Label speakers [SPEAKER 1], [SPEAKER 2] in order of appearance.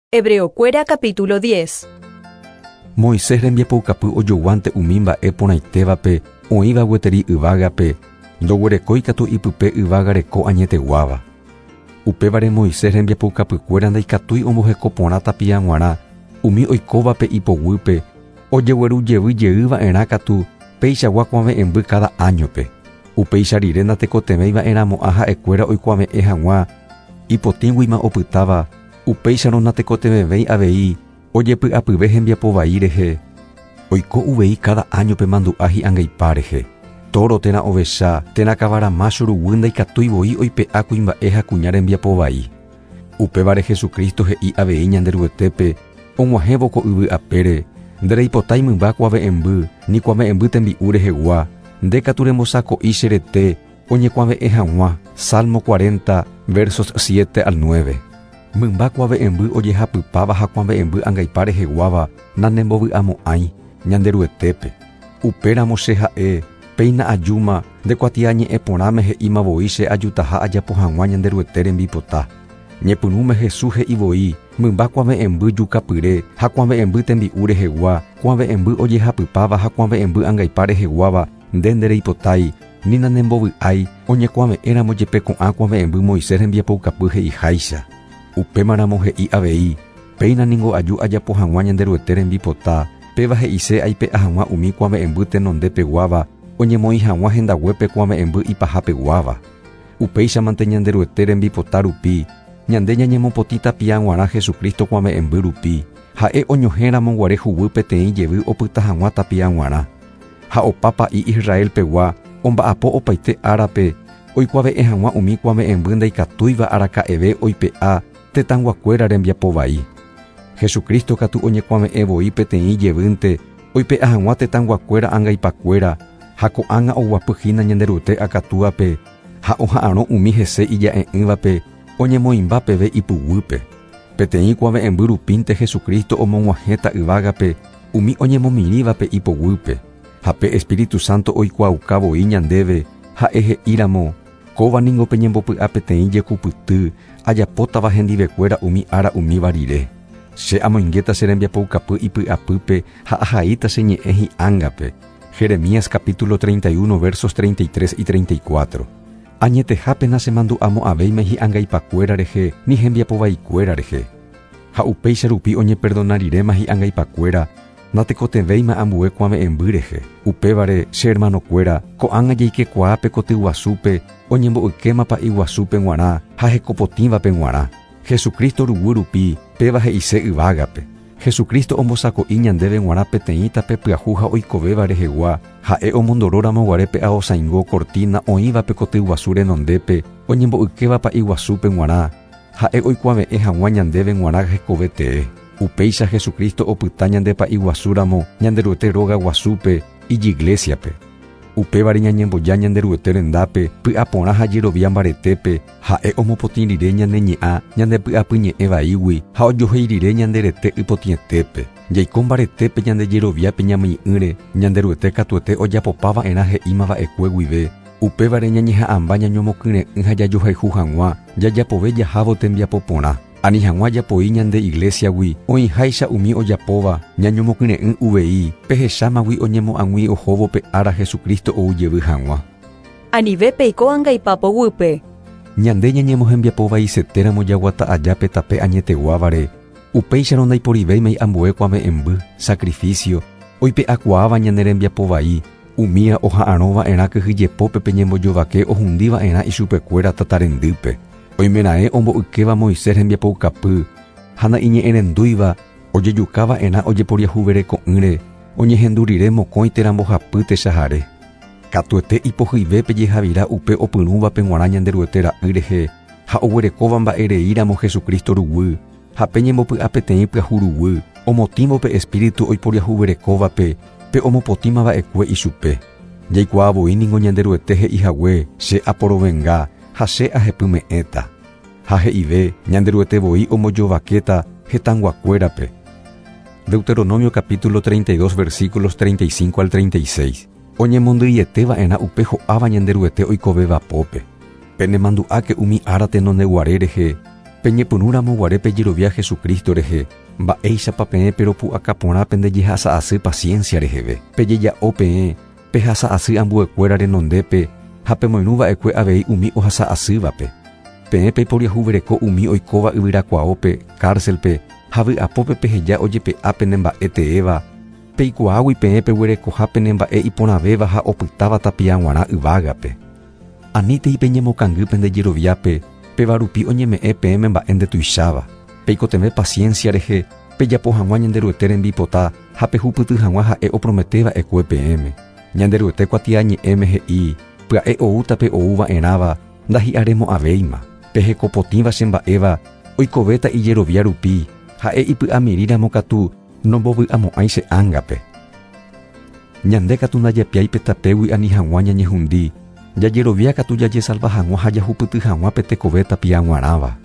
[SPEAKER 1] Hebreokuéra capítulo 10.
[SPEAKER 2] Moisés rembiapoukapy ojoguánte umi mba'e porãitévape oĩva gueteri yvágape, ndoguerekói katu ipype yvága reko añeteguáva. Upévare Moisés rembiapoukapykuéra ndaikatúi omboheko porã tapia g̃uarã umi oikóvape ipoguýpe, ojegueru jevy jey va'erã katu peichagua kuave'ẽmby káda áñope. Upéicha rire natekotevẽi va'erãmo'ã ha'ekuéra oikuave'ẽ hag̃ua ipotĩguima opytáva, upéicharõ natekotevẽvéi avei ojepy'apyve hembiapo vai rehe, oiko uvei káda áñope mandu'a hi'angaipa rehe. Tóro térã ovecha térã kavara mácho ruguy ndaikatúi voi oipe'a kuimba'e ha kuña rembiapo vai. Upévare Jesucristo he'i avei Ñanderuetépe og̃uahẽvo ko yvy apére, Ndereipotái mymba kuave'ẽmby, ni kuave'ẽmby tembi'u rehegua, nde katu rembosako'i che rete oñekuave'ẽ hag̃ua, Salmo 40, versos 7 al 9. Mymba kuave'ẽmby ojehapypáva ha kuave'ẽmby angaipa reheguáva nanembovy'amo'ãi, Ñanderuetépe. Upéramo che ha'e, Péina ajúma, nde kuatiañe'ẽ porãme he'íma voi che ajutaha ajapo hag̃ua Ñanderuete rembipota. Ñepyrũme Jesús he'i voi, Mymba kuave'ẽmby jukapyre ha kuave'ẽmby tembi'u rehegua, kuave'ẽmby ojehapypáva ha kuave'ẽmby angaipa reheguáva nde ndereipotái, ni nanembovy'ái, oñekuave'ẽramo jepe ko'ã kuave'ẽmby Moisés rembiapoukapy he'iháicha. Upémaramo he'i avei, Péina ningo aju ajapo hag̃ua Ñanderuete rembipota, péva he'ise aipe'a hag̃ua umi kuave'ẽmby tenonde peguáva oñemoĩ hag̃ua hendaguépe kuave'ẽmby ipaha peguáva. Upéichamante Ñanderuete rembipota rupi, ñande ñañemopotĩ tapia g̃uarã Jesucristo kuave'ẽmby rupi, ha'e oñohẽ ramo guare huguy peteĩ jevy opyta hag̃ua tapia g̃uarã. Ha opa pa'i Israel pegua omba'apo opaite árape oikuave'ẽ hag̃ua umi kuave'ẽmby ndaikatúiva araka'eve oipe'a tetãyguakuéra rembiapo vai. Jesucristo katu oñekuave'ẽ voi peteĩ jevýnte oipe'a hag̃ua tetãyguakuéra angaipakuéra ha ko'ág̃a oguapy hína Ñanderuete akatúape ha oha'arõ umi hese ija'e'ỹvape oñemoĩmba peve ipuguýpe. Peteĩ kuave'ẽmby rupínte Jesucristo omog̃uahẽta yvágape umi oñemomirĩvape ipoguýpe, ha pe Espíritu Santo oikuaauka voi ñandéve ha'e he'íramo, Kóva ningo pe ñembopy'a peteĩ jekupyty ajapótava hendivekuéra umi ára umíva rire. Che amoingéta che rembiapoukapy ipy'apýpe ha ahaíta che ñe'ẽ hi'ángape. Jeremías capítulo 31 versos 33 y 34. Añetehápe nachemandu'amo'ãvéima hi'angaipakuéra rehe ni hembiapovaikuéra rehe. Ha upéicha rupi oñeperdona riréma hi'angaipakuéra, natekotevẽima ambue kuave'ẽmby rehe. Upévare, che hermanokuéra, ko'ág̃a jaikekuaa pe koty guasúpe oñembo'ykéma pa'i guasúpe g̃uarã ha hekopotĩvape g̃uarã. Jesucristo ruguy rupi, péva he'ise yvágape. Jesucristo ombosako'i ñandéve g̃uarã peteĩ tape pyahu ha oikovéva rehegua, ha'e omondoróramo guare pe aosãingo cortina oĩva pe koty guasu renondépe oñembo'ykéva pa'i guasúpe g̃uarã, Ha'e oikuave'ẽ hag̃ua ñandéve g̃uarã hekove tee. Upéicha Jesucristo opyta ñande Pa'i Guasu ramo Ñanderuete róga guasúpe, ijiglésiape. Upévare ñañemboja Ñanderuete rendápe py'aporã ha jerovia mbaretépe, Ha'e omopotĩ rire ñane ñe'ã ñande py'apyñe'ẽ vaígui ha ojohéi rire ñande rete ypotĩetépe. Jaiko mbaretépe ñande jeroviápe ñamyi'ỹre, Ñanderuete katuete ojapopa va'erã he'íma va'ekue guive, Upévare ñañeha'ãmba ñañomokyre'ỹ ha jajohayhu hag̃ua, jajapove jahávo tembiapo porã. Ani hag̃ua japoi ñande iglésiagui oĩháicha umi ojapóva, ñañomokyre'ỹ uvei, pehechámagui oñemo'ag̃ui ohóvo pe ára Jesucristo ou jevy hag̃ua.
[SPEAKER 1] Anive peiko angaipa poguýpe.
[SPEAKER 2] Ñande ñañemohembiapo vaisetéramo jaguata aja pe tape añeteguávare, upéicharõ ndaiporivéimai ambue kuave'ẽmby, sacrificio, oipe'akuaáva ñane rembiapo vai, Umía oha'arõ va'erã kyhyjepópe pe ñembojovake ohundi va'erã ichupekuéra tata rendýpe. Oimeraẽ ombo'ykéva Moisés rembiapoukapy ha na'iñe'ẽrendúiva ojejuka va'erã ojeporiahuvereko'ỹre oñehendu rire mokõi térã mbohapy techahare. Katuete ipohyive pe jehavira upe opyrũvape g̃uarã Ñanderuete Ra'y rehe ha oguerekóva mba'e rei ramo Jesucristo ruguy ha pe ñembopy'a peteĩ pyahu ruguy, omotĩvo pe Espíritu oiporiahuverekóvape pe omopotĩma va'ekue ichupe. Jaikuaa voi ningo Ñanderuete he'i hague, Che aporovenga ha che ahepyme'ẽta. Ha he'ive, Ñanderuete voi ombojovakéta hetãyguakuérape. Deuteronomio capítulo 32 versículos 35 al 36. Oñemondyiete va'erã upe ho'áva Ñanderuete oikovéva pópe. Penemandu'áke umi ára tenondeguare rehe. Peñepyrũramo guare pejerovia Jesucristo rehe, mba'éichapa peẽ peropu'aka porã pende jehasa'asy paciencia reheve. Pejeja'o peẽ, pehasa'asy ambuekuéra renondépe ha pemoirũva'ekue avei umi ohasa'asývape. Peẽ peiporiahuvereko umi oikóva yvyrakuaópe, cárcel-pe, ha vy'apópe peheja ojepe'a pene mba'e teéva, peikuaágui peẽ peguerekoha pene mba'e iporãvéva ha opytáva tapia g̃uarã yvágape. Anítei peñemokangy pende jeroviápe, péva rupi oñeme'ẽ peẽme mba'e ndetuicháva. Peikotevẽ paciencia rehe, pejapo hag̃ua Ñanderuete rembipota ha pehupyty hag̃ua ha'e oprometeva'ekue peẽme. Ñanderuete kuatiañe'ẽme he'i, Pya'e oúta pe ouva'erãva, ndahi'aremo'ãvéima. Pe hekopotĩva che mba'éva, oikovéta ijerovia rupi, ha'e ipy'amirĩramo katu nombovy'amo'ãi che ángape. Ñande katu ndajapiái pe tapégui ani hag̃ua ñañehundi, jajerovia katu jajesalva hag̃ua ha jahupyty hag̃ua pe tekove tapia g̃uarãva.